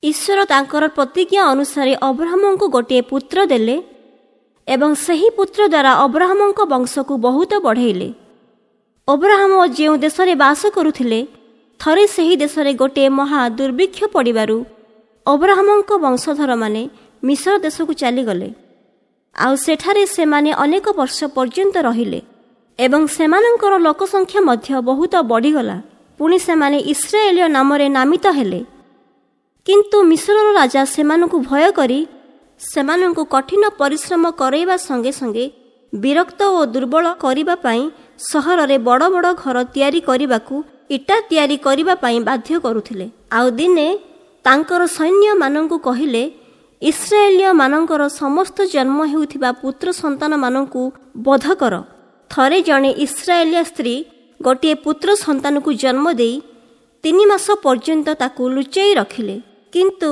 ଈଶ୍ୱର ତାଙ୍କର ପ୍ରତିଜ୍ଞା ଅନୁସାରେ ଅବ୍ରାହମଙ୍କୁ ଗୋଟିଏ ପୁତ୍ର ଦେଲେ ଏବଂ ସେହି ପୁତ୍ର ଦ୍ୱାରା ଅବ୍ରାହମଙ୍କ ବଂଶକୁ ବହୁତ ବଢ଼େଇଲେ। ଅବ୍ରାହମ ଯେଉଁ ଦେଶରେ ବାସ କରୁଥିଲେ, ଥରେ ସେହି ଦେଶରେ ଗୋଟିଏ ମହା ଦୁର୍ଭିକ୍ଷ ପଡ଼ିବାରୁ ଅବ୍ରାହମଙ୍କ ବଂଶଧରମାନେ ମିଶର ଦେଶକୁ ଚାଲିଗଲେ। ଆଉ ସେଠାରେ ସେମାନେ ଅନେକ ବର୍ଷ ପର୍ଯ୍ୟନ୍ତ ରହିଲେ ଏବଂ ସେମାନଙ୍କର ଲୋକସଂଖ୍ୟା ମଧ୍ୟ ବହୁତ ବଢ଼ିଗଲା। ପୁଣି ସେମାନେ ଇସ୍ରାଏଲୀୟ ନାମରେ ନାମିତ ହେଲେ। କିନ୍ତୁ ମିଶରର ରାଜା ସେମାନଙ୍କୁ ଭୟ କରି ସେମାନଙ୍କୁ କଠିନ ପରିଶ୍ରମ କରାଇବା ସଙ୍ଗେ ସଙ୍ଗେ ବିରକ୍ତ ଓ ଦୁର୍ବଳ କରିବା ପାଇଁ ସହରରେ ବଡ଼ ବଡ଼ ଘର ତିଆରି କରିବାକୁ, ଇଟା ତିଆରି କରିବା ପାଇଁ ବାଧ୍ୟ କରୁଥିଲେ। ଆଉ ଦିନେ ତାଙ୍କର ସୈନ୍ୟମାନଙ୍କୁ କହିଲେ, ଇସ୍ରାଏଲୀୟମାନଙ୍କର ସମସ୍ତ ଜନ୍ମ ହେଉଥିବା ପୁତ୍ର ସନ୍ତାନମାନଙ୍କୁ ବଧ କର। ଥରେ ଜଣେ ଇସ୍ରାଏଲୀୟ ସ୍ତ୍ରୀ ଗୋଟିଏ ପୁତ୍ର ସନ୍ତାନକୁ ଜନ୍ମ ଦେଇ 3 ମାସ ପର୍ଯ୍ୟନ୍ତ ତାକୁ ଲୁଚାଇ ରଖିଲେ। କିନ୍ତୁ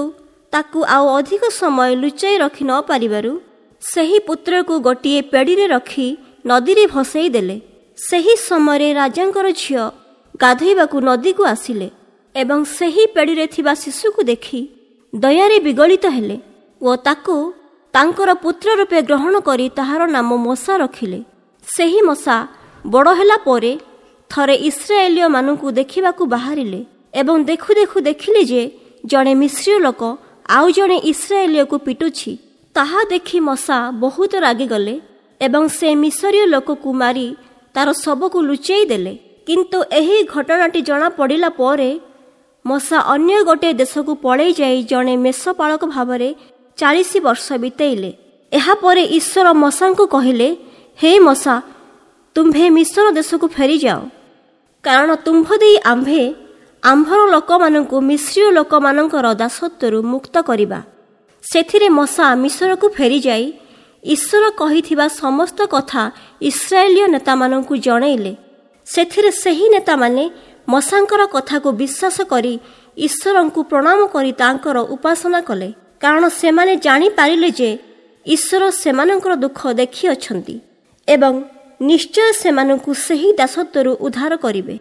ତାକୁ ଆଉ ଅଧିକ ସମୟ ଲୁଚାଇ ରଖି ନ ପାରିବାରୁ ସେହି ପୁତ୍ରକୁ ଗୋଟିଏ ପେଡ଼ିରେ ରଖି ନଦୀରେ ଭସେଇ ଦେଲେ। ସେହି ସମୟରେ ରାଜାଙ୍କର ଝିଅ ଗାଧୋଇବାକୁ ନଦୀକୁ ଆସିଲେ ଏବଂ ସେହି ପେଡ଼ିରେ ଥିବା ଶିଶୁକୁ ଦେଖି ଦୟାରେ ବିଗଳିତ ହେଲେ ଓ ତାକୁ ତାଙ୍କର ପୁତ୍ର ରୂପେ ଗ୍ରହଣ କରି ତାହାର ନାମ ମୋଶା ରଖିଲେ। ସେହି ମୋଶା ବଡ଼ ହେଲା ପରେ ଥରେ ଇସ୍ରାଏଲୀୟମାନଙ୍କୁ ଦେଖିବାକୁ ବାହାରିଲେ ଏବଂ ଦେଖୁ ଦେଖୁ ଦେଖିଲେ ଯେ ଜଣେ ମିଶ୍ରୀୟ ଲୋକ ଆଉ ଜଣେ ଇସ୍ରାଏଲୀୟକୁ ପିଟୁଛି। ତାହା ଦେଖି ମୋଶା ବହୁତ ରାଗିଗଲେ ଏବଂ ସେ ମିଶରୀୟ ଲୋକକୁ ମାରି ତାର ଶବକୁ ଲୁଚେଇ ଦେଲେ। କିନ୍ତୁ ଏହି ଘଟଣାଟି ଜଣାପଡ଼ିଲା ପରେ ମୋଶା ଅନ୍ୟ ଗୋଟିଏ ଦେଶକୁ ପଳେଇ ଯାଇ ଜଣେ ମେଷପାଳକ ଭାବରେ 40 ବର୍ଷ ବିତେଇଲେ। ଏହାପରେ ଈଶ୍ୱର ମୋଶାଙ୍କୁ କହିଲେ, ହେ ମୋଶା, ତୁମ୍ଭେ ମିଶର ଦେଶକୁ ଫେରିଯାଅ, କାରଣ ତୁମ୍ଭ ଦେଇ ଆମ୍ଭେ ଆମ୍ଭର ଲୋକମାନଙ୍କୁ ମିଶ୍ରୀୟ ଲୋକମାନଙ୍କର ଦାସତ୍ୱରୁ ମୁକ୍ତ କରିବା। ସେଥିରେ ମୋଶା ମିଶରକୁ ଫେରିଯାଇ ଈଶ୍ୱର କହିଥିବା ସମସ୍ତ କଥା ଇସ୍ରାଏଲୀୟ ନେତାମାନଙ୍କୁ ଜଣେଇଲେ। ସେଥିରେ ସେହି ନେତାମାନେ ମୋଶାଙ୍କର କଥାକୁ ବିଶ୍ୱାସ କରି ଈଶ୍ୱରଙ୍କୁ ପ୍ରଣାମ କରି ତାଙ୍କର ଉପାସନା କଲେ, କାରଣ ସେମାନେ ଜାଣିପାରିଲେ ଯେ ଈଶ୍ୱର ସେମାନଙ୍କର ଦୁଃଖ ଦେଖିଅଛନ୍ତି ଏବଂ ନିଶ୍ଚୟ ସେମାନଙ୍କୁ ସେହି ଦାସତ୍ୱରୁ ଉଦ୍ଧାର କରିବେ।